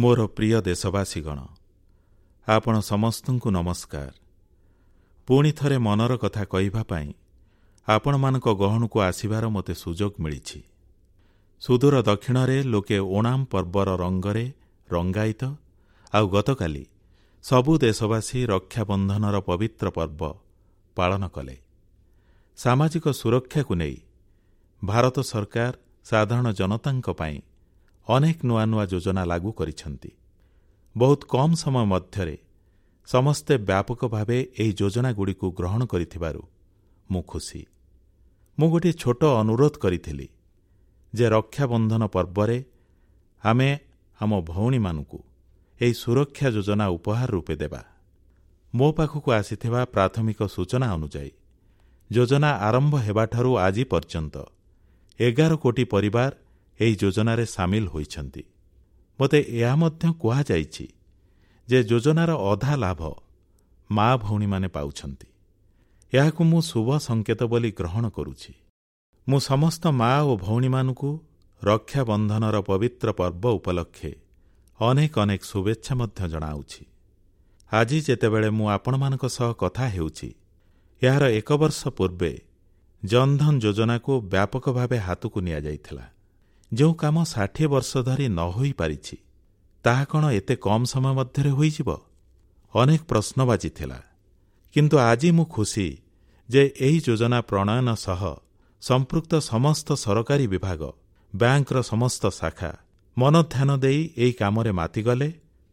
ମୋର ପ୍ରିୟ ଦେଶବାସୀଗଣ, ଆପଣ ସମସ୍ତଙ୍କୁ ନମସ୍କାର। ପୁଣି ଥରେ ମନର କଥା କହିବା ପାଇଁ ଆପଣମାନଙ୍କ ଗହଣକୁ ଆସିବାର ମୋତେ ସୁଯୋଗ ମିଳିଛି। ସୁଦୂର ଦକ୍ଷିଣରେ ଲୋକେ ଓଣାମ୍ ପର୍ବର ରଙ୍ଗରେ ରଙ୍ଗାୟିତ, ଆଉ ଗତକାଲି ସବୁ ଦେଶବାସୀ ରକ୍ଷାବନ୍ଧନର ପବିତ୍ର ପର୍ବ ପାଳନ କଲେ। ସାମାଜିକ ସୁରକ୍ଷାକୁ ନେଇ ଭାରତ ସରକାର ସାଧାରଣ ଜନତାଙ୍କ ପାଇଁ ଅନେକ ନୂଆ ନୂଆ ଯୋଜନା ଲାଗୁ କରିଛନ୍ତି। ବହୁତ କମ୍ ସମୟ ମଧ୍ୟରେ ସମସ୍ତେ ବ୍ୟାପକ ଭାବେ ଏହି ଯୋଜନାଗୁଡ଼ିକୁ ଗ୍ରହଣ କରିଥିବାରୁ ମୁଁ ଖୁସି। ମୁଁ ଗୋଟିଏ ଛୋଟ ଅନୁରୋଧ କରିଥିଲି ଯେ ରକ୍ଷାବନ୍ଧନ ପର୍ବରେ ଆମେ ଆମ ଭଉଣୀମାନଙ୍କୁ ଏହି ସୁରକ୍ଷା ଯୋଜନା ଉପହାର ରୂପେ ଦେବା। ମୋ ପାଖକୁ ଆସିଥିବା ପ୍ରାଥମିକ ସୂଚନା ଅନୁଯାୟୀ ଯୋଜନା ଆରମ୍ଭ ହେବାଠାରୁ ଆଜି ପର୍ଯ୍ୟନ୍ତ 11 କୋଟି ପରିବାର ଏହି ଯୋଜନାରେ ସାମିଲ ହୋଇଛନ୍ତି। ମୋତେ ଏହା ମଧ୍ୟ କୁହାଯାଇଛି ଯେ ଯୋଜନାର ଅଧା ଲାଭ ମା ଭଉଣୀମାନେ ପାଉଛନ୍ତି। ଏହାକୁ ମୁଁ ଶୁଭ ସଂକେତ ବୋଲି ଗ୍ରହଣ କରୁଛି। ମୁଁ ସମସ୍ତ ମା ଓ ଭଉଣୀମାନଙ୍କୁ ରକ୍ଷାବନ୍ଧନର ପବିତ୍ର ପର୍ବ ଉପଲକ୍ଷେ ଅନେକ ଅନେକ ଶୁଭେଚ୍ଛା ମଧ୍ୟ ଜଣାଉଛି। ଆଜି ଯେତେବେଳେ ମୁଁ ଆପଣମାନଙ୍କ ସହ କଥା ହେଉଛି, ଏହାର 1 ବର୍ଷ ପୂର୍ବେ ଜନଧନ ଯୋଜନାକୁ ବ୍ୟାପକ ଭାବେ ହାତକୁ ନିଆଯାଇଥିଲା। ଯେଉଁ କାମ 60 ବର୍ଷ ଧରି ନ ହୋଇପାରିଛି, ତାହା କ'ଣ ଏତେ କମ୍ ସମୟ ମଧ୍ୟରେ ହୋଇଯିବ? ଅନେକ ପ୍ରଶ୍ନବାଚୀ ଥିଲା। କିନ୍ତୁ ଆଜି ମୁଁ ଖୁସି ଯେ ଏହି ଯୋଜନା ପ୍ରଣୟନ ସହ ସମ୍ପୃକ୍ତ ସମସ୍ତ ସରକାରୀ ବିଭାଗ, ବ୍ୟାଙ୍କର ସମସ୍ତ ଶାଖା ମନଧ୍ୟାନ ଦେଇ ଏହି କାମରେ ମାତିଗଲେ,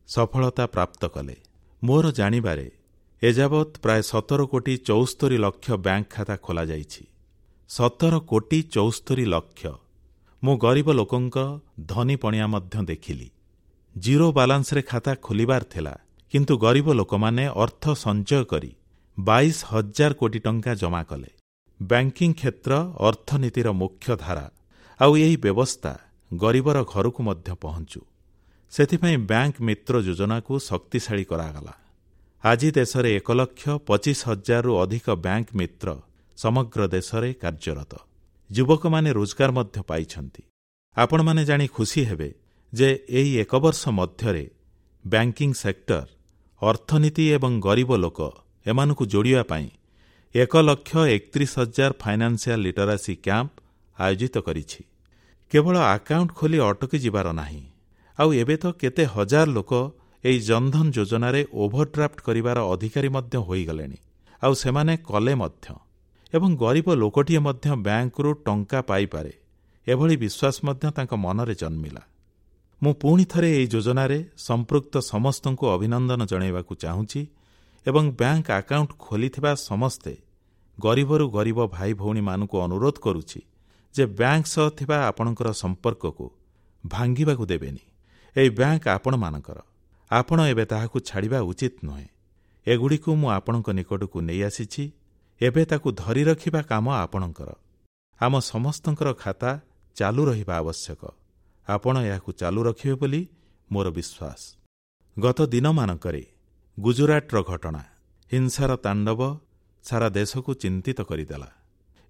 ସଫଳତା ପ୍ରାପ୍ତ କଲେ। ମୋର ଜାଣିବାରେ ଏଯାବତ୍ ପ୍ରାୟ 17 କୋଟି 74 ଲକ୍ଷ ବ୍ୟାଙ୍କ ଖାତା ଖୋଲାଯାଇଛି। 17 କୋଟି 74 ଲକ୍ଷ। ମୁଁ ଗରିବ ଲୋକଙ୍କ ଧନୀ ପଣିଆ ମଧ୍ୟ ଦେଖିଲି। ଜିରୋ ବାଲାନ୍ସରେ ଖାତା ଖୋଲିବାର ଥିଲା, କିନ୍ତୁ ଗରିବ ଲୋକମାନେ ଅର୍ଥ ସଞ୍ଚୟ କରି 22,000 କୋଟି ଟଙ୍କା ଜମା କଲେ। ବ୍ୟାଙ୍କିଂ କ୍ଷେତ୍ର ଅର୍ଥନୀତିର ମୁଖ୍ୟ ଧାରା, ଆଉ ଏହି ବ୍ୟବସ୍ଥା ଗରିବର ଘରକୁ ମଧ୍ୟ ପହଞ୍ଚୁ, ସେଥିପାଇଁ ବ୍ୟାଙ୍କ ମିତ୍ର ଯୋଜନାକୁ ଶକ୍ତିଶାଳୀ କରାଗଲା। ଆଜି ଦେଶରେ 1,25,000ରୁ ଅଧିକ ବ୍ୟାଙ୍କ ମିତ୍ର ସମଗ୍ର ଦେଶରେ କାର୍ଯ୍ୟରତ। ଯୁବକମାନେ ରୋଜଗାର ମଧ୍ୟ ପାଇଛନ୍ତି। ଆପଣମାନେ ଜାଣି ଖୁସି ହେବେ ଯେ ଏହି 1 ବର୍ଷ ମଧ୍ୟରେ ବ୍ୟାଙ୍କିଂ ସେକ୍ଟର ଅର୍ଥନୀତି ଏବଂ ଗରିବ ଲୋକ ଏମାନଙ୍କୁ ଯୋଡ଼ିବା ପାଇଁ 1,31,000 ଫାଇନାନ୍ସିଆଲ ଲିଟରାସି କ୍ୟାମ୍ପ ଆୟୋଜିତ କରିଛି। କେବଳ ଆକାଉଣ୍ଟ ଖୋଲି ଅଟକି ଯିବାର ନାହିଁ, ଆଉ ଏବେ ତ କେତେ ହଜାର ଲୋକ ଏହି ଜନଧନ ଯୋଜନାରେ ଓଭରଡ୍ରାଫ୍ଟ କରିବାର ଅଧିକାରୀ ମଧ୍ୟ ହୋଇଗଲେଣି, ଆଉ ସେମାନେ କଲେ ମଧ୍ୟ। ଏବଂ ଗରିବ ଲୋକଟିଏ ମଧ୍ୟ ବ୍ୟାଙ୍କରୁ ଟଙ୍କା ପାଇପାରେ, ଏଭଳି ବିଶ୍ୱାସ ମଧ୍ୟ ତାଙ୍କ ମନରେ ଜନ୍ମିଲା। ମୁଁ ପୁଣି ଥରେ ଏହି ଯୋଜନାରେ ସମ୍ପୃକ୍ତ ସମସ୍ତଙ୍କୁ ଅଭିନନ୍ଦନ ଜଣାଇବାକୁ ଚାହୁଁଛି ଏବଂ ବ୍ୟାଙ୍କ ଆକାଉଣ୍ଟ ଖୋଲିଥିବା ସମସ୍ତେ ଗରିବରୁ ଗରିବ ଭାଇ ଭଉଣୀମାନଙ୍କୁ ଅନୁରୋଧ କରୁଛି ଯେ ବ୍ୟାଙ୍କ ସହ ଥିବା ଆପଣଙ୍କର ସମ୍ପର୍କକୁ ଭାଙ୍ଗିବାକୁ ଦେବେନି। ଏହି ବ୍ୟାଙ୍କ ଆପଣମାନଙ୍କର, ଆପଣ ଏବେ ତାହାକୁ ଛାଡ଼ିବା ଉଚିତ ନୁହେଁ। ଏଗୁଡ଼ିକୁ ମୁଁ ଆପଣଙ୍କ ନିକଟକୁ ନେଇ ଆସିଛି, ଏବେ ତାକୁ ଧରି ରଖିବା କାମ ଆପଣଙ୍କର। ଆମ ସମସ୍ତଙ୍କର ଖାତା ଚାଲୁ ରହିବା ଆବଶ୍ୟକ। ଆପଣ ଏହାକୁ ଚାଲୁ ରଖିବେ ବୋଲି ମୋର ବିଶ୍ୱାସ। ଗତ ଦିନମାନଙ୍କରେ ଗୁଜରାଟର ଘଟଣା, ହିଂସାର ତାଣ୍ଡବ ସାରା ଦେଶକୁ ଚିନ୍ତିତ କରିଦେଲା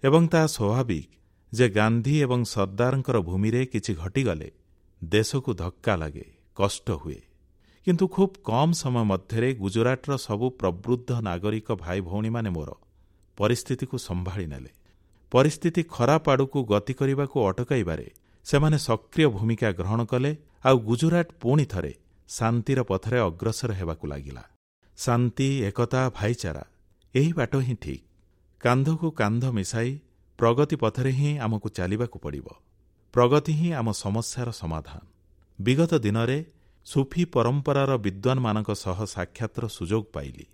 ଏବଂ ତାହା ସ୍ୱାଭାବିକ ଯେ ଗାନ୍ଧୀ ଏବଂ ସର୍ଦ୍ଦାରଙ୍କର ଭୂମିରେ କିଛି ଘଟିଗଲେ ଦେଶକୁ ଧକ୍କା ଲାଗେ, କଷ୍ଟ ହୁଏ। କିନ୍ତୁ ଖୁବ୍ କମ୍ ସମୟ ମଧ୍ୟରେ ଗୁଜରାଟର ସବୁ ପ୍ରବୃଦ୍ଧ ନାଗରିକ ଭାଇ ଭଉଣୀମାନେ ମୋର ପରିସ୍ଥିତିକୁ ସମ୍ଭାଳି ନେଲେ। ପରିସ୍ଥିତି ଖରାପ ଆଡ଼କୁ ଗତି କରିବାକୁ ଅଟକାଇବାରେ ସେମାନେ ସକ୍ରିୟ ଭୂମିକା ଗ୍ରହଣ କଲେ, ଆଉ ଗୁଜରାଟ ପୁଣି ଥରେ ଶାନ୍ତିର ପଥରେ ଅଗ୍ରସର ହେବାକୁ ଲାଗିଲା। ଶାନ୍ତି, ଏକତା, ଭାଇଚାରା, ଏହି ବାଟ ହିଁ ଠିକ୍। କାନ୍ଧକୁ କାନ୍ଧ ମିଶାଇ ପ୍ରଗତି ପଥରେ ହିଁ ଆମକୁ ଚାଲିବାକୁ ପଡ଼ିବ। ପ୍ରଗତି ହିଁ ଆମ ସମସ୍ୟାର ସମାଧାନ। ବିଗତ ଦିନରେ ସୁଫି ପରମ୍ପରାର ବିଦ୍ୱାନମାନଙ୍କ ସହ ସାକ୍ଷାତର ସୁଯୋଗ ପାଇଲି,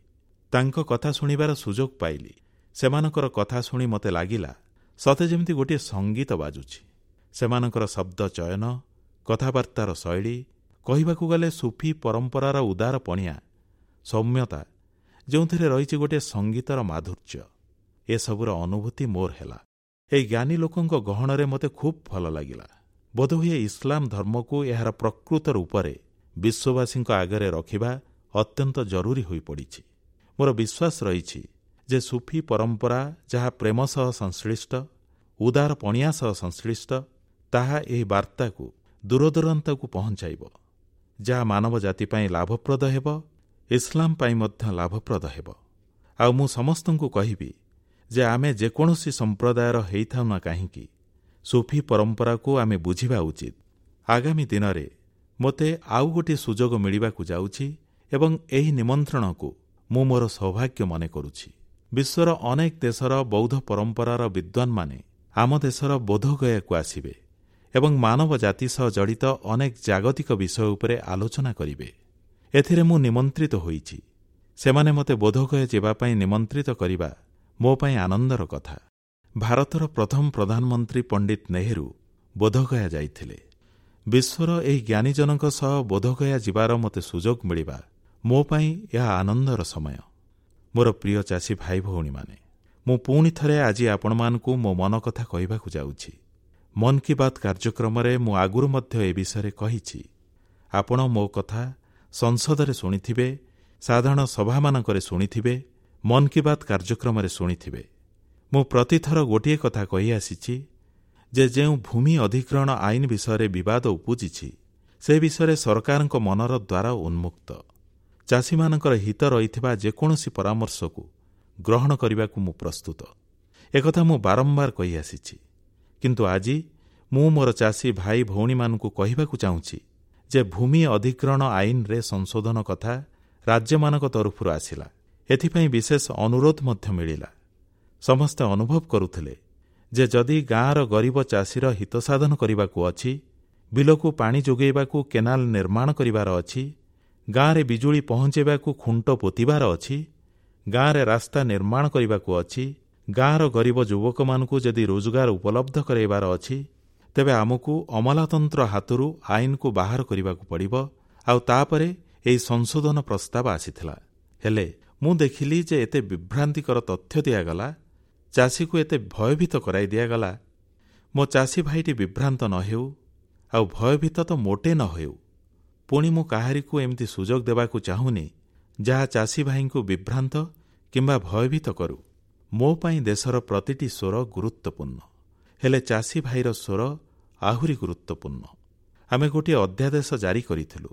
ତାଙ୍କ କଥା ଶୁଣିବାର ସୁଯୋଗ ପାଇଲି। ସେମାନଙ୍କର କଥା ଶୁଣି ମୋତେ ଲାଗିଲା ସତେ ଯେମିତି ଗୋଟିଏ ସଙ୍ଗୀତ ବାଜୁଛି। ସେମାନଙ୍କର ଶବ୍ଦ ଚୟନ, କଥାବାର୍ତ୍ତାର ଶୈଳୀ, କହିବାକୁ ଗଲେ ସୁଫି ପରମ୍ପରାର ଉଦାର ପଣିଆ, ସୌମ୍ୟତା, ଯେଉଁଥିରେ ରହିଛି ଗୋଟିଏ ସଙ୍ଗୀତର ମାଧୁର୍ଯ୍ୟ, ଏସବୁର ଅନୁଭୂତି ମୋର ହେଲା। ଏହି ଜ୍ଞାନୀ ଲୋକଙ୍କ ଗହଣରେ ମୋତେ ଖୁବ୍ ଭଲ ଲାଗିଲା। ବୋଧହୁଏ ଇସଲାମ ଧର୍ମକୁ ଏହାର ପ୍ରକୃତ ରୂପରେ ବିଶ୍ୱବାସୀଙ୍କ ଆଗରେ ରଖିବା ଅତ୍ୟନ୍ତ ଜରୁରୀ ହୋଇପଡ଼ିଛି। ମୋର ବିଶ୍ୱାସ ରହିଛି ଯେ ସୁଫି ପରମ୍ପରା ଯାହା ପ୍ରେମ ସହ ସଂଶ୍ଳିଷ୍ଟ, ଉଦାର ପଣିଆ ସହ ସଂଶ୍ଳିଷ୍ଟ, ତାହା ଏହି ବାର୍ତ୍ତାକୁ ଦୂରଦୂରାନ୍ତକୁ ପହଞ୍ଚାଇବ। ଯାହା ମାନବ ଜାତି ପାଇଁ ଲାଭପ୍ରଦ ହେବ, ଇସଲାମ ପାଇଁ ମଧ୍ୟ ଲାଭପ୍ରଦ ହେବ। ଆଉ ମୁଁ ସମସ୍ତଙ୍କୁ କହିବି ଯେ ଆମେ ଯେକୌଣସି ସମ୍ପ୍ରଦାୟର ହେଇଥାଉ ନା କାହିଁକି, ସୁଫି ପରମ୍ପରାକୁ ଆମେ ବୁଝିବା ଉଚିତ। ଆଗାମୀ ଦିନରେ ମୋତେ ଆଉ ଗୋଟିଏ ସୁଯୋଗ ମିଳିବାକୁ ଯାଉଛି ଏବଂ ଏହି ନିମନ୍ତ୍ରଣକୁ ମୁଁ ମୋର ସୌଭାଗ୍ୟ ମନେ କରୁଛି। ବିଶ୍ୱର ଅନେକ ଦେଶର ବୌଦ୍ଧ ପରମ୍ପରାର ବିଦ୍ୱାନମାନେ ଆମ ଦେଶର ବୋଧଗୟାକୁ ଆସିବେ ଏବଂ ମାନବ ଜାତି ସହ ଜଡ଼ିତ ଅନେକ ଜାଗତିକ ବିଷୟ ଉପରେ ଆଲୋଚନା କରିବେ। ଏଥିରେ ମୁଁ ନିମନ୍ତ୍ରିତ ହୋଇଛି। ସେମାନେ ମୋତେ ବୋଧଗୟା ଯିବା ପାଇଁ ନିମନ୍ତ୍ରିତ କରିବା ମୋ ପାଇଁ ଆନନ୍ଦର କଥା। ଭାରତର ପ୍ରଥମ ପ୍ରଧାନମନ୍ତ୍ରୀ ପଣ୍ଡିତ ନେହେରୁ ବୋଧଗୟା ଯାଇଥିଲେ। ବିଶ୍ୱର ଏହି ଜ୍ଞାନୀଜନଙ୍କ ସହ ବୋଧଗୟା ଯିବାର ମୋତେ ସୁଯୋଗ ମିଳିବା ମୋ ପାଇଁ ଏହା ଆନନ୍ଦର ସମୟ। ମୋର ପ୍ରିୟ ଚାଷୀ ଭାଇ ଭଉଣୀମାନେ, ମୁଁ ପୁଣି ଥରେ ଆଜି ଆପଣମାନଙ୍କୁ ମୋ ମନ କଥା କହିବାକୁ ଯାଉଛି। ମନ୍ କି ବାତ୍ କାର୍ଯ୍ୟକ୍ରମରେ ମୁଁ ଆଗରୁ ମଧ୍ୟ ଏ ବିଷୟରେ କହିଛି। ଆପଣ ମୋ କଥା ସଂସଦରେ ଶୁଣିଥିବେ, ସାଧାରଣ ସଭାମାନଙ୍କରେ ଶୁଣିଥିବେ, ମନ୍ କି ବାତ୍ କାର୍ଯ୍ୟକ୍ରମରେ ଶୁଣିଥିବେ। ମୁଁ ପ୍ରତିଥର ଗୋଟିଏ କଥା କହିଆସିଛି ଯେ ଯେଉଁ ଭୂମି ଅଧିଗ୍ରହଣ ଆଇନ ବିଷୟରେ ବିବାଦ ଉପୁଜିଛି, ସେ ବିଷୟରେ ସରକାରଙ୍କ ମନର ଦ୍ୱାର ଉନ୍ମୁକ୍ତ। ଚାଷୀମାନଙ୍କର ହିତ ରହିଥିବା ଯେକୌଣସି ପରାମର୍ଶକୁ ଗ୍ରହଣ କରିବାକୁ ମୁଁ ପ୍ରସ୍ତୁତ। ଏକଥା ମୁଁ ବାରମ୍ବାର କହିଆସିଛି। କିନ୍ତୁ ଆଜି ମୁଁ ମୋର ଚାଷୀ ଭାଇ ଭଉଣୀମାନଙ୍କୁ କହିବାକୁ ଚାହୁଁଛି ଯେ ଭୂମି ଅଧିଗ୍ରହଣ ଆଇନରେ ସଂଶୋଧନ କଥା ରାଜ୍ୟମାନଙ୍କ ତରଫରୁ ଆସିଲା। ଏଥିପାଇଁ ବିଶେଷ ଅନୁରୋଧ ମଧ୍ୟ ମିଳିଲା। ସମସ୍ତେ ଅନୁଭବ କରୁଥିଲେ ଯେ ଯଦି ଗାଁର ଗରିବ ଚାଷୀର ହିତସାଧନ କରିବାକୁ ଅଛି, ବିଲକୁ ପାଣି ଯୋଗାଇବାକୁ କେନାଲ ନିର୍ମାଣ କରିବାର ଅଛି, ଗାଁରେ ବିଜୁଳି ପହଞ୍ଚାଇବାକୁ ଖୁଣ୍ଟ ପୋତିବାର ଅଛି, ଗାଁରେ ରାସ୍ତା ନିର୍ମାଣ କରିବାକୁ ଅଛି, ଗାଁର ଗରିବ ଯୁବକମାନଙ୍କୁ ଯଦି ରୋଜଗାର ଉପଲବ୍ଧ କରାଇବାର ଅଛି, ତେବେ ଆମକୁ ଅମଲାତନ୍ତ୍ର ହାତରୁ ଆଇନକୁ ବାହାର କରିବାକୁ ପଡ଼ିବ। ଆଉ ତାପରେ ଏହି ସଂଶୋଧନ ପ୍ରସ୍ତାବ ଆସିଥିଲା। ହେଲେ ମୁଁ ଦେଖିଲି ଯେ ଏତେ ବିଭ୍ରାନ୍ତିକର ତଥ୍ୟ ଦିଆଗଲା, ଚାଷୀକୁ ଏତେ ଭୟଭୀତ କରାଇ ଦିଆଗଲା। ମୋ ଚାଷୀ ଭାଇଟି ବିଭ୍ରାନ୍ତ ନ ହେଉ, ଆଉ ଭୟଭୀତ ତ ମୋଟେ ନ ହେଉ। ପୁଣି ମୁଁ କାହାରିକୁ ଏମିତି ସୁଯୋଗ ଦେବାକୁ ଚାହୁଁନି ଯାହା ଚାଷୀ ଭାଇଙ୍କୁ ବିଭ୍ରାନ୍ତ କିମ୍ବା ଭୟଭୀତ କରୁ। ମୋ ପାଇଁ ଦେଶର ପ୍ରତିଟି ସ୍ୱର ଗୁରୁତ୍ୱପୂର୍ଣ୍ଣ, ହେଲେ ଚାଷୀ ଭାଇର ସ୍ୱର ଆହୁରି ଗୁରୁତ୍ୱପୂର୍ଣ୍ଣ। ଆମେ ଗୋଟିଏ ଅଧ୍ୟାଦେଶ ଜାରି କରିଥିଲୁ।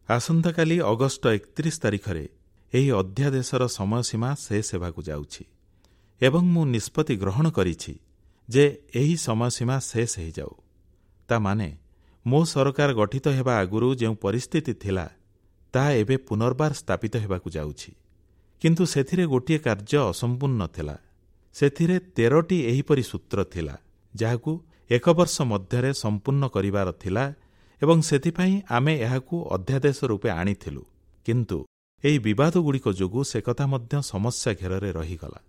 ଆସନ୍ତାକାଲି ଅଗଷ୍ଟ 31 ତାରିଖରେ ଏହି ଅଧ୍ୟାଦେଶର ସମୟସୀମା ଶେଷ ହେବାକୁ ଯାଉଛି ଏବଂ ମୁଁ ନିଷ୍ପତ୍ତି ଗ୍ରହଣ କରିଛି ଯେ ଏହି ସମୟସୀମା ଶେଷ ହୋଇଯାଉ। ତା ମାନେ ମୋ ସରକାର ଗଠିତ ହେବା ଆଗରୁ ଯେଉଁ ପରିସ୍ଥିତି ଥିଲା ତାହା ଏବେ ପୁନର୍ବାର ସ୍ଥାପିତ ହେବାକୁ ଯାଉଛି। କିନ୍ତୁ ସେଥିରେ ଗୋଟିଏ କାର୍ଯ୍ୟ ଅସମ୍ପୂର୍ଣ୍ଣ ଥିଲା। ସେଥିରେ 13ଟି ଏହିପରି ସୂତ୍ର ଥିଲା ଯାହାକୁ 1 ବର୍ଷ ମଧ୍ୟରେ ସମ୍ପୂର୍ଣ୍ଣ କରିବାର ଥିଲା ଏବଂ ସେଥିପାଇଁ ଆମେ ଏହାକୁ ଅଧ୍ୟାଦେଶ ରୂପେ ଆଣିଥିଲୁ। କିନ୍ତୁ ଏହି ବିବାଦଗୁଡ଼ିକ ଯୋଗୁଁ ସେକଥା ମଧ୍ୟ ସମସ୍ୟା ଘେରରେ ରହିଗଲା।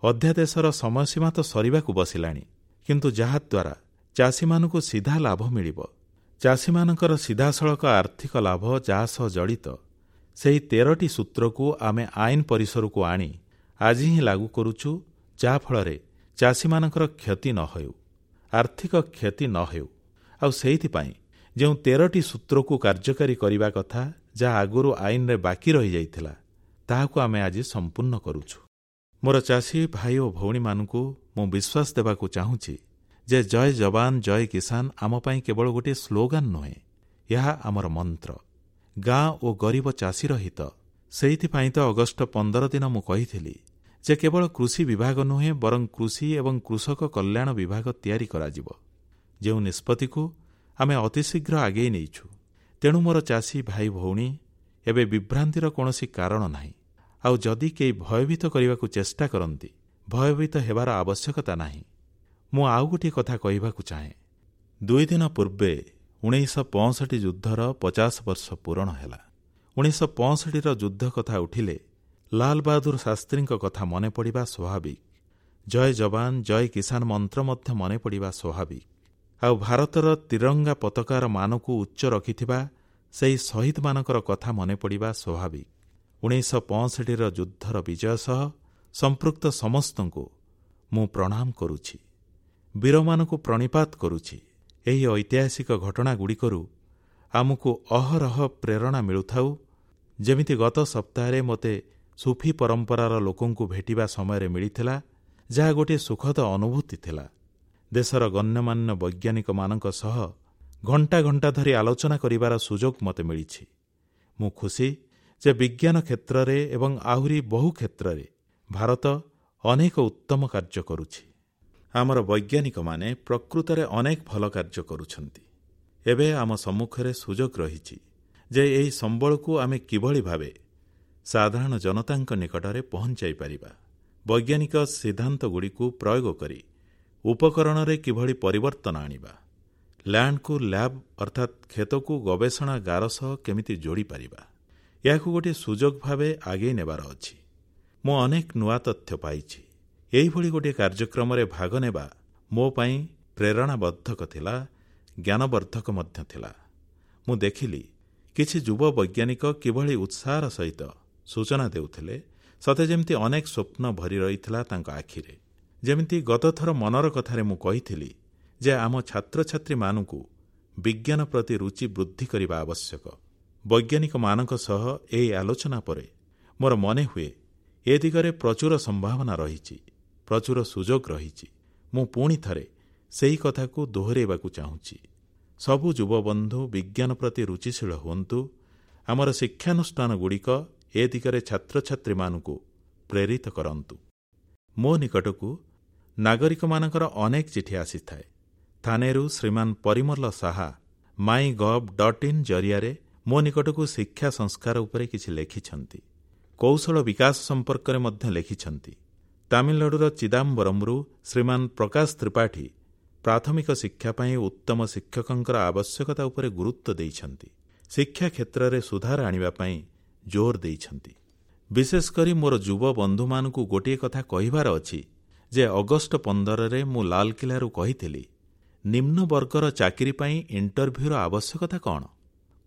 ଅଧ୍ୟାଦେଶର ସମୟସୀମା ତ ସରିବାକୁ ବସିଲାଣି, କିନ୍ତୁ ଯାହାଦ୍ୱାରା ଚାଷୀମାନଙ୍କୁ ସିଧା ଲାଭ ମିଳିବ, ଚାଷୀମାନଙ୍କର ସିଧାସଳଖ ଆର୍ଥିକ ଲାଭ ଯାହା ସହ ଜଡ଼ିତ, ସେହି 13ଟି ସୂତ୍ରକୁ ଆମେ ଆଇନ ପରିସରକୁ ଆଣି ଆଜି ହିଁ ଲାଗୁ କରୁଛୁ, ଯାହାଫଳରେ ଚାଷୀମାନଙ୍କର କ୍ଷତି ନ ହେଉ, ଆର୍ଥିକ କ୍ଷତି ନ ହେଉ। ଆଉ ସେଇଥିପାଇଁ ଯେଉଁ 13ଟି ସୂତ୍ରକୁ କାର୍ଯ୍ୟକାରୀ କରିବା କଥା, ଯାହା ଆଗରୁ ଆଇନରେ ବାକି ରହିଯାଇଥିଲା, ତାହାକୁ ଆମେ ଆଜି ସମ୍ପୂର୍ଣ୍ଣ କରୁଛୁ। ମୋର ଚାଷୀ ଭାଇ ଓ ଭଉଣୀମାନଙ୍କୁ ମୁଁ ବିଶ୍ୱାସ ଦେବାକୁ ଚାହୁଁଛି ଯେ ଜୟ ଯବାନ ଜୟ କିଷାନ ଆମ ପାଇଁ କେବଳ ଗୋଟିଏ ସ୍ଲୋଗାନ ନୁହେଁ, ଏହା ଆମର ମନ୍ତ୍ର। ଗାଁ ଓ ଗରିବ ଚାଷୀର ହିତ। ସେଇଥିପାଇଁ ତ ଅଗଷ୍ଟ 15 ଦିନ ମୁଁ କହିଥିଲି ଯେ କେବଳ କୃଷି ବିଭାଗ ନୁହେଁ, ବରଂ କୃଷି ଏବଂ କୃଷକ କଲ୍ୟାଣ ବିଭାଗ ତିଆରି କରାଯିବ, ଯେଉଁ ନିଷ୍ପତ୍ତିକୁ ଆମେ ଅତିଶୀଘ୍ର ଆଗେଇ ନେଇଛୁ। ତେଣୁ ମୋର ଚାଷୀ ଭାଇ ଭଉଣୀ, ଏବେ ବିଭ୍ରାନ୍ତିର କୌଣସି କାରଣ ନାହିଁ। ଆଉ ଯଦି କେହି ଭୟଭୀତ କରିବାକୁ ଚେଷ୍ଟା କରନ୍ତି, ଭୟଭୀତ ହେବାର ଆବଶ୍ୟକତା ନାହିଁ। ମୁଁ ଆଉ ଗୋଟିଏ କଥା କହିବାକୁ ଚାହେଁ। 2 ଦିନ ପୂର୍ବେ 1965 ଯୁଦ୍ଧର 50 ବର୍ଷ ପୂରଣ ହେଲା। 1965ର ଯୁଦ୍ଧ କଥା ଉଠିଲେ ଲାଲ ବାହାଦୁର ଶାସ୍ତ୍ରୀଙ୍କ କଥା ମନେ ପଡ଼ିବା ସ୍ୱାଭାବିକ। ଜୟ ଯବାନ ଜୟ କିଷାନ ମନ୍ତ୍ର ମଧ୍ୟ ମନେ ପଡ଼ିବା ସ୍ୱାଭାବିକ। ଆଉ ଭାରତର ତ୍ରିରଙ୍ଗା ପତାକାର ମାନକୁ ଉଚ୍ଚ ରଖିଥିବା ସେହି ଶହୀଦମାନଙ୍କର କଥା ମନେ ପଡ଼ିବା ସ୍ୱାଭାବିକ। 1965ର ଯୁଦ୍ଧର ବିଜୟ ସହ ସମ୍ପୃକ୍ତ ସମସ୍ତଙ୍କୁ ମୁଁ ପ୍ରଣାମ କରୁଛି, ବୀରମାନଙ୍କୁ ପ୍ରଣିପାତ କରୁଛି। ଏହି ଐତିହାସିକ ଘଟଣାଗୁଡ଼ିକରୁ ଆମକୁ ଅହରହ ପ୍ରେରଣା ମିଳୁଥାଉ। ଯେମିତି ଗତ ସପ୍ତାହରେ ମୋତେ ସୁଫି ପରମ୍ପରାର ଲୋକଙ୍କୁ ଭେଟିବା ସମୟରେ ମିଳିଥିଲା, ଯାହା ଗୋଟିଏ ସୁଖଦ ଅନୁଭୂତି ଥିଲା। ଦେଶର ଗଣ୍ୟମାନ୍ୟ ବୈଜ୍ଞାନିକମାନଙ୍କ ସହ ଘଣ୍ଟା ଘଣ୍ଟା ଧରି ଆଲୋଚନା କରିବାର ସୁଯୋଗ ମୋତେ ମିଳିଛି। ମୁଁ ଖୁସି ଯେ ବିଜ୍ଞାନ କ୍ଷେତ୍ରରେ ଏବଂ ଆହୁରି ବହୁ କ୍ଷେତ୍ରରେ ଭାରତ ଅନେକ ଉତ୍ତମ କାର୍ଯ୍ୟ କରୁଛି। ଆମର ବୈଜ୍ଞାନିକମାନେ ପ୍ରକୃତରେ ଅନେକ ଭଲ କାର୍ଯ୍ୟ କରୁଛନ୍ତି। ଏବେ ଆମ ସମ୍ମୁଖରେ ସୁଯୋଗ ରହିଛି ଯେ ଏହି ସମ୍ବଳକୁ ଆମେ କିଭଳି ଭାବେ ସାଧାରଣ ଜନତାଙ୍କ ନିକଟରେ ପହଂଚାଇପାରିବା, ବୈଜ୍ଞାନିକ ସିଦ୍ଧାନ୍ତଗୁଡ଼ିକୁ ପ୍ରୟୋଗ କରି ଉପକରଣରେ କିଭଳି ପରିବର୍ତ୍ତନ ଆଣିବା, ଲ୍ୟାଣ୍ଡକୁ ଲ୍ୟାବ୍ ଅର୍ଥାତ୍ କ୍ଷେତକୁ ଗବେଷଣାଗାର ସହ କେମିତି ଯୋଡ଼ିପାରିବା, ଏହାକୁ ଗୋଟିଏ ସୁଯୋଗ ଭାବେ ଆଗେଇ ନେବାର ଅଛି। ମୁଁ ଅନେକ ନୂଆ ତଥ୍ୟ ପାଇଛି। ଏହିଭଳି ଗୋଟିଏ କାର୍ଯ୍ୟକ୍ରମରେ ଭାଗ ନେବା ମୋ ପାଇଁ ପ୍ରେରଣାବର୍ଦ୍ଧକ ଥିଲା, ଜ୍ଞାନବର୍ଦ୍ଧକ ମଧ୍ୟ ଥିଲା। ମୁଁ ଦେଖିଲି କିଛି ଯୁବ ବୈଜ୍ଞାନିକ କିଭଳି ଉତ୍ସାହର ସହିତ ସୂଚନା ଦେଉଥିଲେ, ସତେ ଯେମିତି ଅନେକ ସ୍ୱପ୍ନ ଭରି ରହିଥିଲା ତାଙ୍କ ଆଖିରେ। ଯେମିତି ଗତଥର ମନର କଥାରେ ମୁଁ କହିଥିଲି ଯେ ଆମ ଛାତ୍ରଛାତ୍ରୀମାନଙ୍କୁ ବିଜ୍ଞାନ ପ୍ରତି ରୁଚି ବୃଦ୍ଧି କରିବା ଆବଶ୍ୟକ। ବୈଜ୍ଞାନିକମାନଙ୍କ ସହ ଏହି ଆଲୋଚନା ପରେ ମୋର ମନେହୁଏ ଏ ଦିଗରେ ପ୍ରଚୁର ସମ୍ଭାବନା ରହିଛି, ପ୍ରଚୁର ସୁଯୋଗ ରହିଛି। ମୁଁ ପୁଣି ଥରେ ସେହି କଥାକୁ ଦୋହରାଇବାକୁ ଚାହୁଁଛି। ସବୁ ଯୁବବନ୍ଧୁ ବିଜ୍ଞାନ ପ୍ରତି ରୁଚିଶୀଳ ହୁଅନ୍ତୁ। ଆମର ଶିକ୍ଷାନୁଷ୍ଠାନଗୁଡ଼ିକ ଏ ଦିଗରେ ଛାତ୍ରଛାତ୍ରୀମାନଙ୍କୁ ପ୍ରେରିତ କରନ୍ତୁ। ମୋ ନିକଟକୁ ନାଗରିକମାନଙ୍କର ଅନେକ ଚିଠି ଆସିଥାଏ। ଥାନେରୁ ଶ୍ରୀମାନ ପରିମଲ ସାହା mygov.in ଜରିଆରେ ମୋ ନିକଟକୁ ଶିକ୍ଷା ସଂସ୍କାର ଉପରେ କିଛି ଲେଖିଛନ୍ତି। କୌଶଳ ବିକାଶ ସମ୍ପର୍କରେ ମଧ୍ୟ ଲେଖିଛନ୍ତି। ତାମିଲନାଡୁର ଚିଦାମ୍ବରମରୁ ଶ୍ରୀମାନ ପ୍ରକାଶ ତ୍ରିପାଠୀ ପ୍ରାଥମିକ ଶିକ୍ଷା ପାଇଁ ଉତ୍ତମ ଶିକ୍ଷକଙ୍କର ଆବଶ୍ୟକତା ଉପରେ ଗୁରୁତ୍ୱ ଦେଇଛନ୍ତି। ଶିକ୍ଷା କ୍ଷେତ୍ରରେ ସୁଧାର ଆଣିବା ପାଇଁ ଜୋର ଦେଇଛନ୍ତି। ବିଶେଷ କରି ମୋର ଯୁବ ବନ୍ଧୁମାନଙ୍କୁ ଗୋଟିଏ କଥା କହିବାର ଅଛି ଯେ ଅଗଷ୍ଟ 15ରେ ମୁଁ ଲାଲକିଲ୍ଲାରୁ କହିଥିଲି, ନିମ୍ନ ବର୍ଗର ଚାକିରି ପାଇଁ ଇଣ୍ଟରଭ୍ୟୁର ଆବଶ୍ୟକତା କଣ?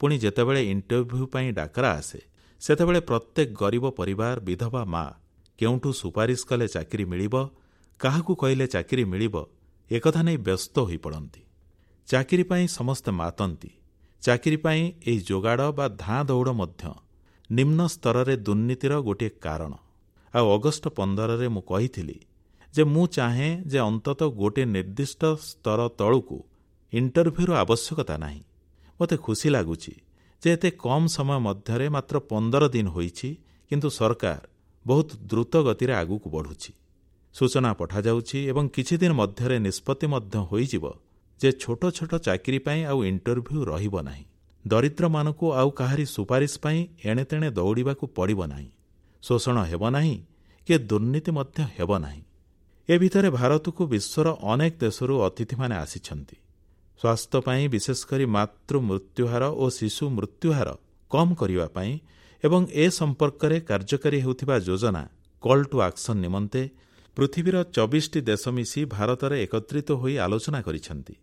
ପୁଣି ଯେତେବେଳେ ଇଣ୍ଟରଭ୍ୟୁ ପାଇଁ ଡାକରା ଆସେ, ସେତେବେଳେ ପ୍ରତ୍ୟେକ ଗରିବ ପରିବାର, ବିଧବା ମା କେଉଁଠୁ ସୁପାରିଶ କଲେ ଚାକିରି ମିଳିବ, କାହାକୁ କହିଲେ ଚାକିରି ମିଳିବ, ଏକଥା ନେଇ ବ୍ୟସ୍ତ ହୋଇପଡ଼ନ୍ତି। ଚାକିରି ପାଇଁ ସମସ୍ତେ ମାତନ୍ତି। ଚାକିରି ପାଇଁ ଏହି ଯୋଗାଡ଼ ବା ଧାଁ ଦୌଡ଼ ମଧ୍ୟ ନିମ୍ନ ସ୍ତରରେ ଦୁର୍ନୀତିର ଗୋଟିଏ କାରଣ। ଆଉ ଅଗଷ୍ଟ 15ରେ ମୁଁ କହିଥିଲି ଯେ ମୁଁ ଚାହେଁ ଯେ ଅନ୍ତତଃ ଗୋଟିଏ ନିର୍ଦ୍ଦିଷ୍ଟ ସ୍ତର ତଳକୁ ଇଣ୍ଟରଭ୍ୟୁର ଆବଶ୍ୟକତା ନାହିଁ। ମୋତେ ଖୁସି ଲାଗୁଛି ଯେ ଏତେ କମ୍ ସମୟ ମଧ୍ୟରେ ମାତ୍ର 15 ଦିନ ହୋଇଛି, କିନ୍ତୁ ସରକାର ବହୁତ ଦ୍ରୁତ ଗତିରେ ଆଗକୁ ବଢ଼ୁଛି। ସୂଚନା ପଠାଯାଉଛି ଏବଂ କିଛି ଦିନ ମଧ୍ୟରେ ନିଷ୍ପତ୍ତି ମଧ୍ୟ ହୋଇଯିବ ଯେ ଛୋଟ ଛୋଟ ଚାକିରି ପାଇଁ ଆଉ ଇଣ୍ଟରଭ୍ୟୁ ରହିବ ନାହିଁ। ଦରିଦ୍ରମାନଙ୍କୁ ଆଉ କାହାରି ସୁପାରିଶ ପାଇଁ ଏଣେତେଣେ ଦୌଡ଼ିବାକୁ ପଡ଼ିବ ନାହିଁ। ଶୋଷଣ ହେବ ନାହିଁ କି ଦୁର୍ନୀତି ମଧ୍ୟ ହେବ ନାହିଁ। ଏ ଭିତରେ ଭାରତକୁ ବିଶ୍ୱର ଅନେକ ଦେଶରୁ ଅତିଥିମାନେ ଆସିଛନ୍ତି। ସ୍ୱାସ୍ଥ୍ୟ ପାଇଁ ବିଶେଷ କରି ମାତୃ ମୃତ୍ୟୁହାର ଓ ଶିଶୁ ମୃତ୍ୟୁହାର କମ୍ କରିବା ପାଇଁ ଏବଂ ଏ ସମ୍ପର୍କରେ କାର୍ଯ୍ୟକାରୀ ହେଉଥିବା ଯୋଜନା କଲ୍ ଟୁ ଆକ୍ସନ୍ ନିମନ୍ତେ ପୃଥିବୀର 24ଟି ଦେଶ ମିଶି ଭାରତରେ ଏକତ୍ରିତ ହୋଇ ଆଲୋଚନା କରିଛନ୍ତି।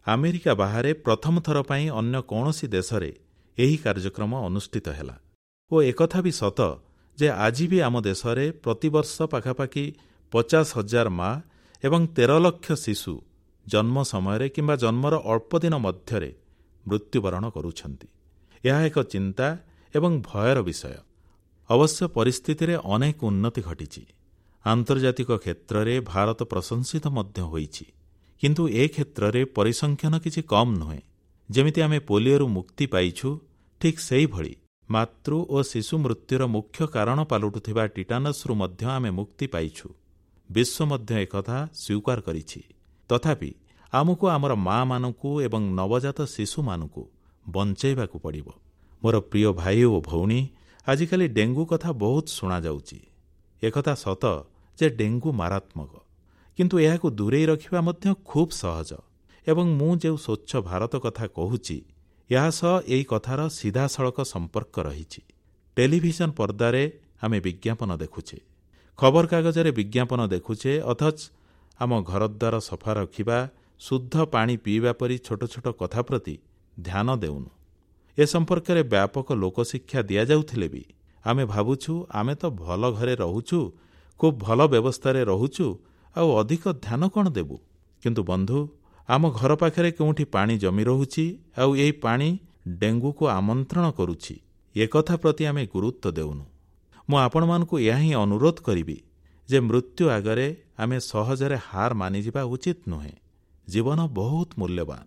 ଆମେରିକା ବାହାରେ ପ୍ରଥମ ଥର ପାଇଁ ଅନ୍ୟ କୌଣସି ଦେଶରେ ଏହି କାର୍ଯ୍ୟକ୍ରମ ଅନୁଷ୍ଠିତ ହେଲା। ଓ ଏକଥା ବି ସତ ଯେ ଆଜି ବି ଆମ ଦେଶରେ ପ୍ରତିବର୍ଷ ପାଖାପାଖି 50,000 ମା ଏବଂ 13 ଲକ୍ଷ ଶିଶୁ ଜନ୍ମ ସମୟରେ କିମ୍ବା ଜନ୍ମର ଅଳ୍ପ ଦିନ ମଧ୍ୟରେ ମୃତ୍ୟୁବରଣ କରୁଛନ୍ତି। ଏହା ଏକ ଚିନ୍ତା ଏବଂ ଭୟର ବିଷୟ। ଅବଶ୍ୟ ପରିସ୍ଥିତିରେ ଅନେକ ଉନ୍ନତି ଘଟିଛି। ଆନ୍ତର୍ଜାତିକ କ୍ଷେତ୍ରରେ ଭାରତ ପ୍ରଶଂସିତ ମଧ୍ୟ ହୋଇଛି। କିନ୍ତୁ ଏ କ୍ଷେତ୍ରରେ ପରିସଂଖ୍ୟାନ କିଛି କମ୍ ନୁହେଁ। ଯେମିତି ଆମେ ପୋଲିଓରୁ ମୁକ୍ତି ପାଇଛୁ, ଠିକ୍ ସେହିଭଳି ମାତୃ ଓ ଶିଶୁ ମୃତ୍ୟୁର ମୁଖ୍ୟ କାରଣ ପାଲଟୁଥିବା ଟିଟାନସ୍ରୁ ମଧ୍ୟ ଆମେ ମୁକ୍ତି ପାଇଛୁ। ବିଶ୍ୱ ମଧ୍ୟ ଏକଥା ସ୍ୱୀକାର କରିଛି। ତଥାପି ଆମକୁ ଆମର ମାଆମାନଙ୍କୁ ଏବଂ ନବଜାତ ଶିଶୁମାନଙ୍କୁ ବଞ୍ଚାଇବାକୁ ପଡ଼ିବ। ମୋର ପ୍ରିୟ ଭାଇ ଓ ଭଉଣୀ, ଆଜିକାଲି ଡେଙ୍ଗୁ କଥା ବହୁତ ଶୁଣାଯାଉଛି। ଏକଥା ସତ ଯେ ଡେଙ୍ଗୁ ମାରାତ୍ମକ, କିନ୍ତୁ ଏହାକୁ ଦୂରେଇ ରଖିବା ମଧ୍ୟ ଖୁବ୍ ସହଜ। ଏବଂ ମୁଁ ଯେଉଁ ସ୍ୱଚ୍ଛ ଭାରତ କଥା କହୁଛି, ଏହା ସହ ଏହି କଥାର ସିଧାସଳଖ ସମ୍ପର୍କ ରହିଛି। ଟେଲିଭିଜନ ପର୍ଦ୍ଦାରେ ଆମେ ବିଜ୍ଞାପନ ଦେଖୁଛେ, ଖବରକାଗଜରେ ବିଜ୍ଞାପନ ଦେଖୁଛେ, ଅଥଚ ଆମ ଘରଦ୍ୱାର ସଫା ରଖିବା, ଶୁଦ୍ଧ ପାଣି ପିଇବା ପରି ଛୋଟ ଛୋଟ କଥା ପ୍ରତି ଧ୍ୟାନ ଦେଉନୁ। ଏ ସମ୍ପର୍କରେ ବ୍ୟାପକ ଲୋକଶିକ୍ଷା ଦିଆଯାଉଥିଲେ ବି ଆମେ ଭାବୁଛୁ ଆମେ ତ ଭଲ ଘରେ ରହୁଛୁ, ଖୁବ୍ ଭଲ ବ୍ୟବସ୍ଥାରେ ରହୁଛୁ, ଆଉ ଅଧିକ ଧ୍ୟାନ କ'ଣ ଦେବୁ? କିନ୍ତୁ ବନ୍ଧୁ, ଆମ ଘର ପାଖରେ କେଉଁଠି ପାଣି ଜମି ରହୁଛି ଆଉ ଏହି ପାଣି ଡେଙ୍ଗୁକୁ ଆମନ୍ତ୍ରଣ କରୁଛି, ଏକଥା ପ୍ରତି ଆମେ ଗୁରୁତ୍ୱ ଦେଉନୁ। ମୁଁ ଆପଣମାନଙ୍କୁ ଏହା ହିଁ ଅନୁରୋଧ କରିବି ଯେ ମୃତ୍ୟୁ ଆଗରେ ଆମେ ସହଜରେ ହାର ମାନିଯିବା ଉଚିତ ନୁହେଁ। ଜୀବନ ବହୁତ ମୂଲ୍ୟବାନ।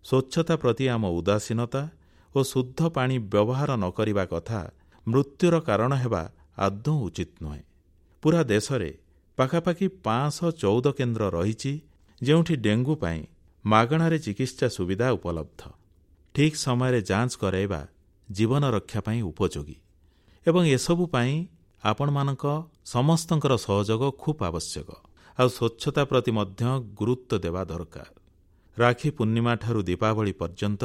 ସ୍ୱଚ୍ଛତା ପ୍ରତି ଆମ ଉଦାସୀନତା ଓ ଶୁଦ୍ଧ ପାଣି ବ୍ୟବହାର ନ କରିବା କଥା ମୃତ୍ୟୁର କାରଣ ହେବା ଆଦୌ ଉଚିତ ନୁହେଁ। ପୁରା ଦେଶରେ ପାଖାପାଖି 514 କେନ୍ଦ୍ର ରହିଛି, ଯେଉଁଠି ଡେଙ୍ଗୁ ପାଇଁ ମାଗଣାରେ ଚିକିତ୍ସା ସୁବିଧା ଉପଲବ୍ଧ। ଠିକ୍ ସମୟରେ ଯାଞ୍ଚ କରାଇବା ଜୀବନ ରକ୍ଷା ପାଇଁ ଉପଯୋଗୀ ଏବଂ ଏସବୁ ପାଇଁ ଆପଣମାନଙ୍କ ସମସ୍ତଙ୍କର ସହଯୋଗ ଖୁବ୍ ଆବଶ୍ୟକ। ଆଉ ସ୍ୱଚ୍ଛତା ପ୍ରତି ମଧ୍ୟ ଗୁରୁତ୍ୱ ଦେବା ଦରକାର। ରାକ୍ଷୀ ପୂର୍ଣ୍ଣିମାଠାରୁ ଦୀପାବଳି ପର୍ଯ୍ୟନ୍ତ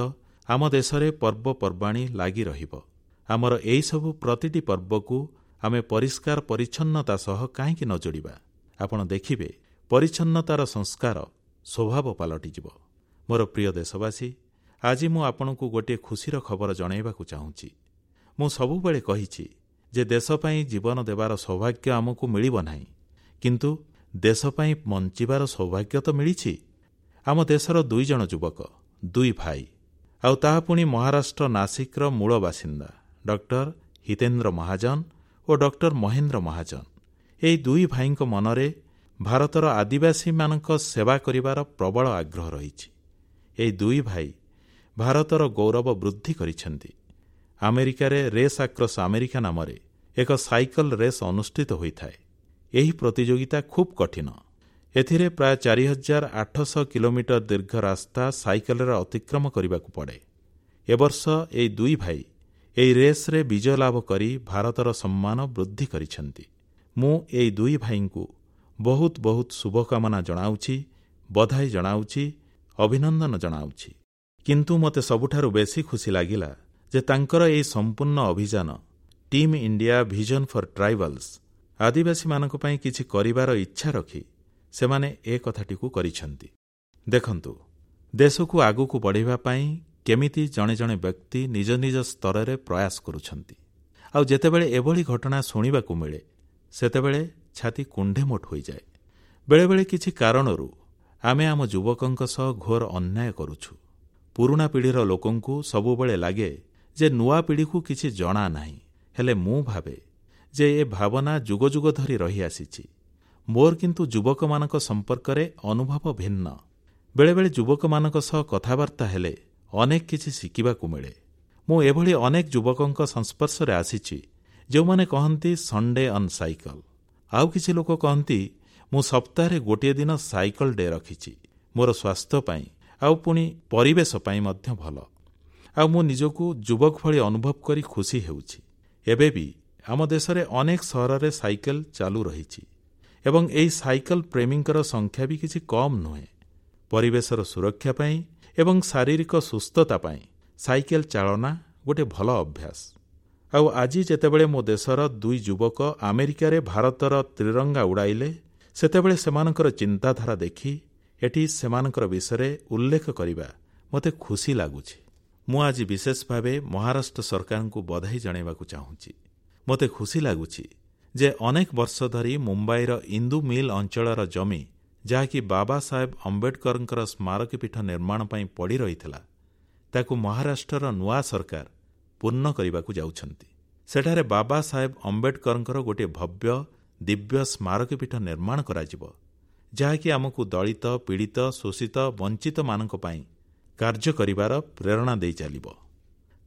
ଆମ ଦେଶରେ ପର୍ବପର୍ବାଣୀ ଲାଗି ରହିବ। ଆମର ଏହିସବୁ ପ୍ରତିଟି ପର୍ବକୁ ଆମେ ପରିଷ୍କାର ପରିଚ୍ଛନ୍ନତା ସହ କାହିଁକି ନ ଯୋଡ଼ିବା? ଆପଣ ଦେଖିବେ, ପରିଚ୍ଛନ୍ନତାର ସଂସ୍କାର ସ୍ୱଭାବ ପାଲଟିଯିବ। ମୋର ପ୍ରିୟ ଦେଶବାସୀ, ଆଜି ମୁଁ ଆପଣଙ୍କୁ ଗୋଟିଏ ଖୁସିର ଖବର ଜଣାଇବାକୁ ଚାହୁଁଛି। ମୁଁ ସବୁବେଳେ କହିଛି ଯେ ଦେଶ ପାଇଁ ଜୀବନ ଦେବାର ସୌଭାଗ୍ୟ ଆମକୁ ମିଳିବ ନାହିଁ, କିନ୍ତୁ ଦେଶ ପାଇଁ ବଞ୍ଚିବାର ସୌଭାଗ୍ୟ ତ ମିଳିଛି। ଆମ ଦେଶର ଦୁଇଜଣ ଯୁବକ, ଦୁଇ ଭାଇ, ଆଉ ତାହା ପୁଣି ମହାରାଷ୍ଟ୍ର ନାସିକର ମୂଳ ବାସିନ୍ଦା ଡକ୍ଟର ହିତେନ୍ଦ୍ର ମହାଜନ ଓ ଡକ୍ଟର ମହେନ୍ଦ୍ର ମହାଜନ। ଏହି ଦୁଇ ଭାଇଙ୍କ ମନରେ ଭାରତର ଆଦିବାସୀମାନଙ୍କ ସେବା କରିବାର ପ୍ରବଳ ଆଗ୍ରହ ରହିଛି। ଏହି ଦୁଇ ଭାଇ ଭାରତର ଗୌରବ ବୃଦ୍ଧି କରିଛନ୍ତି। ଆମେରିକାରେ ରେସ୍ ଆକ୍ରସ୍ ଆମେରିକା ନାମରେ ଏକ ସାଇକେଲ ରେସ୍ ଅନୁଷ୍ଠିତ ହୋଇଥାଏ। ଏହି ପ୍ରତିଯୋଗିତା ଖୁବ୍ କଠିନ। ଏଥିରେ ପ୍ରାୟ 4800 କିଲୋମିଟର ଦୀର୍ଘ ରାସ୍ତା ସାଇକେଲରେ ଅତିକ୍ରମ କରିବାକୁ ପଡ଼େ। ଏ ବର୍ଷ ଏହି ଦୁଇ ଭାଇ ଏହି ରେସ୍ରେ ବିଜୟ ଲାଭ କରି ଭାରତର ସମ୍ମାନ ବୃଦ୍ଧି କରିଛନ୍ତି। ମୁଁ ଏହି ଦୁଇ ଭାଇଙ୍କୁ ବହୁତ ବହୁତ ଶୁଭକାମନା ଜଣାଉଛି, ବଧାଇ ଜଣାଉଛି, ଅଭିନନ୍ଦନ ଜଣାଉଛି। କିନ୍ତୁ ମୋତେ ସବୁଠାରୁ ବେଶୀ ଖୁସି ଲାଗିଲା ଯେ ତାଙ୍କର ଏହି ସମ୍ପୂର୍ଣ୍ଣ ଅଭିଯାନ Team India Vision for Tribals, ଆଦିବାସୀମାନଙ୍କ ପାଇଁ କିଛି କରିବାର ଇଚ୍ଛା ରଖି ସେମାନେ ଏ କଥାଟିକୁ କରିଛନ୍ତି। ଦେଖନ୍ତୁ, ଦେଶକୁ ଆଗକୁ ବଢ଼ାଇବା ପାଇଁ କେମିତି ଜଣେ ଜଣେ ବ୍ୟକ୍ତି ନିଜ ନିଜ ସ୍ତରରେ ପ୍ରୟାସ କରୁଛନ୍ତି। ଆଉ ଯେତେବେଳେ ଏଭଳି ଘଟଣା ଶୁଣିବାକୁ ମିଳେ, ସେତେବେଳେ ଛାତି କୁଣ୍ଢେମୋଟ ହୋଇଯାଏ। ବେଳେବେଳେ କିଛି କାରଣରୁ ଆମେ ଆମ ଯୁବକଙ୍କ ସହ ଘୋର ଅନ୍ୟାୟ କରୁଛୁ। ପୁରୁଣା ପିଢ଼ିର ଲୋକଙ୍କୁ ସବୁବେଳେ ଲାଗେ ଯେ ନୂଆ ପିଢ଼ିକୁ କିଛି ଜଣା ନାହିଁ। ହେଲେ ମୁଁ ଭାବେ ଯେ ଏ ଭାବନା ଯୁଗ ଯୁଗ ଧରି ରହିଆସିଛି। ମୋର କିନ୍ତୁ ଯୁବକମାନଙ୍କ ସମ୍ପର୍କରେ ଅନୁଭବ ଭିନ୍ନ। ବେଳେବେଳେ ଯୁବକମାନଙ୍କ ସହ କଥାବାର୍ତ୍ତା ହେଲେ ଅନେକ କିଛି ଶିଖିବାକୁ ମିଳେ। ମୁଁ ଏଭଳି ଅନେକ ଯୁବକଙ୍କ ସଂସ୍ପର୍ଶରେ ଆସିଛି, ଯେଉଁମାନେ କହନ୍ତି ସଣ୍ଡେ ଅନ୍ ସାଇକେଲ। ଆଉ କିଛି ଲୋକ କହନ୍ତି, ମୁଁ ସପ୍ତାହରେ ଗୋଟିଏ ଦିନ ସାଇକେଲ ଡେ ରଖିଛି, ମୋର ସ୍ୱାସ୍ଥ୍ୟ ପାଇଁ ଆଉ ପୁଣି ପରିବେଶ ପାଇଁ ମଧ୍ୟ ଭଲ। ଆଉ ମୁଁ ନିଜକୁ ଯୁବକ ଭଳି ଅନୁଭବ କରି ଖୁସି ହେଉଛି। ଏବେ ବି ଆମ ଦେଶରେ ଅନେକ ସହରରେ ସାଇକେଲ ଚାଲୁ ରହିଛି ଏବଂ ଏହି ସାଇକେଲ ପ୍ରେମୀଙ୍କର ସଂଖ୍ୟା ବି କିଛି କମ୍ ନୁହେଁ। ପରିବେଶର ସୁରକ୍ଷା ପାଇଁ ଏବଂ ଶାରୀରିକ ସୁସ୍ଥତା ପାଇଁ ସାଇକେଲ ଚାଳନା ଗୋଟିଏ ଭଲ ଅଭ୍ୟାସ। ଆଉ ଆଜି ଯେତେବେଳେ ମୋ ଦେଶର ଦୁଇ ଯୁବକ ଆମେରିକାରେ ଭାରତର ତ୍ରିରଙ୍ଗା ଉଡ଼ାଇଲେ, ସେତେବେଳେ ସେମାନଙ୍କର ଚିନ୍ତାଧାରା ଦେଖି ଏଠି ସେମାନଙ୍କର ବିଷୟରେ ଉଲ୍ଲେଖ କରିବା ମୋତେ ଖୁସି ଲାଗୁଛି। ମୁଁ ଆଜି ବିଶେଷ ଭାବେ ମହାରାଷ୍ଟ୍ର ସରକାରଙ୍କୁ ବଧାଇ ଜଣାଇବାକୁ ଚାହୁଁଛି। ମୋତେ ଖୁସି ଲାଗୁଛି ଯେ ଅନେକ ବର୍ଷ ଧରି ମୁମ୍ବାଇର ଇନ୍ଦୁ ମିଲ୍ ଅଞ୍ଚଳର ଜମି, ଯାହାକି ବାବା ସାହେବ ଅମ୍ବେଦକରଙ୍କର ସ୍ମାରକୀପୀଠ ନିର୍ମାଣ ପାଇଁ ପଡ଼ି ରହିଥିଲା, ତାକୁ ମହାରାଷ୍ଟ୍ରର ନୂଆ ସରକାର ପୂର୍ଣ୍ଣ କରିବାକୁ ଯାଉଛନ୍ତି। ସେଠାରେ ବାବା ସାହେବ ଅମ୍ବେଦକରଙ୍କର ଗୋଟିଏ ଭବ୍ୟ ଦିବ୍ୟ ସ୍ମାରକୀପୀଠ ନିର୍ମାଣ କରାଯିବ, ଯାହାକି ଆମକୁ ଦଳିତ, ପୀଡ଼ିତ, ଶୋଷିତ, ବଞ୍ଚିତମାନଙ୍କ ପାଇଁ କାର୍ଯ୍ୟ କରିବାର ପ୍ରେରଣା ଦେଇ ଚାଲିବ।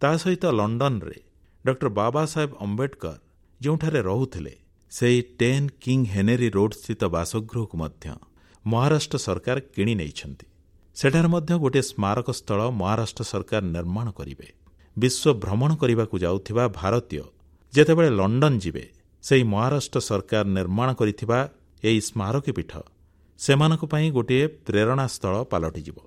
ତା ସହିତ ଲଣ୍ଡନରେ ଡକ୍ଟର ବାବା ସାହେବ ଅମ୍ବେଦକର ଯେଉଁଠାରେ ରହୁଥିଲେ, ସେହି 10 କିଙ୍ଗ ହେନେରୀ ରୋଡ୍ ସ୍ଥିତ ବାସଗୃହକୁ ମଧ୍ୟ ମହାରାଷ୍ଟ୍ର ସରକାର କିଣି ନେଇଛନ୍ତି। ସେଠାରେ ମଧ୍ୟ ଗୋଟିଏ ସ୍ମାରକ ସ୍ଥଳ ମହାରାଷ୍ଟ୍ର ସରକାର ନିର୍ମାଣ କରିବେ। ବିଶ୍ୱ ଭ୍ରମଣ କରିବାକୁ ଯାଉଥିବା ଭାରତୀୟ ଯେତେବେଳେ ଲଣ୍ଡନ ଯିବେ, ସେହି ମହାରାଷ୍ଟ୍ର ସରକାର ନିର୍ମାଣ କରିଥିବା ଏହି ସ୍ମାରକୀପୀଠ ସେମାନଙ୍କ ପାଇଁ ଗୋଟିଏ ପ୍ରେରଣା ସ୍ଥଳ ପାଲଟିଯିବ।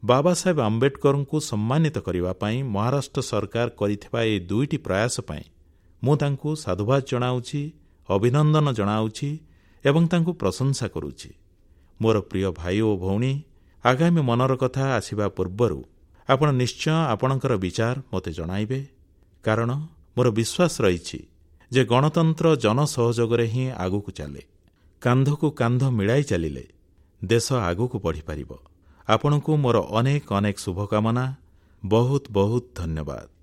ବାବା ସାହେବ ଆମ୍ବେଦକରଙ୍କୁ ସମ୍ମାନିତ କରିବା ପାଇଁ ମହାରାଷ୍ଟ୍ର ସରକାର କରିଥିବା ଏହି ଦୁଇଟି ପ୍ରୟାସ ପାଇଁ ମୁଁ ତାଙ୍କୁ ସାଧୁବାଦ ଜଣାଉଛି, ଅଭିନନ୍ଦନ ଜଣାଉଛି ଏବଂ ତାଙ୍କୁ ପ୍ରଶଂସା କରୁଛି। ମୋର ପ୍ରିୟ ଭାଇ ଓ ଭଉଣୀ, ଆଗାମୀ ମନର କଥା ଆସିବା ପୂର୍ବରୁ ଆପଣ ନିଶ୍ଚୟ ଆପଣଙ୍କର ବିଚାର ମୋତେ ଜଣାଇବେ, କାରଣ ମୋର ବିଶ୍ୱାସ ରହିଛି ଯେ ଗଣତନ୍ତ୍ର ଜନସହଯୋଗରେ ହିଁ ଆଗକୁ ଚାଲେ। କାନ୍ଧକୁ କାନ୍ଧ ମିଳାଇ ଚାଲିଲେ ଦେଶ ଆଗକୁ ବଢ଼ିପାରିବ। ଆପଣଙ୍କୁ ମୋର ଅନେକ ଅନେକ ଶୁଭକାମନା। ବହୁତ ବହୁତ ଧନ୍ୟବାଦ।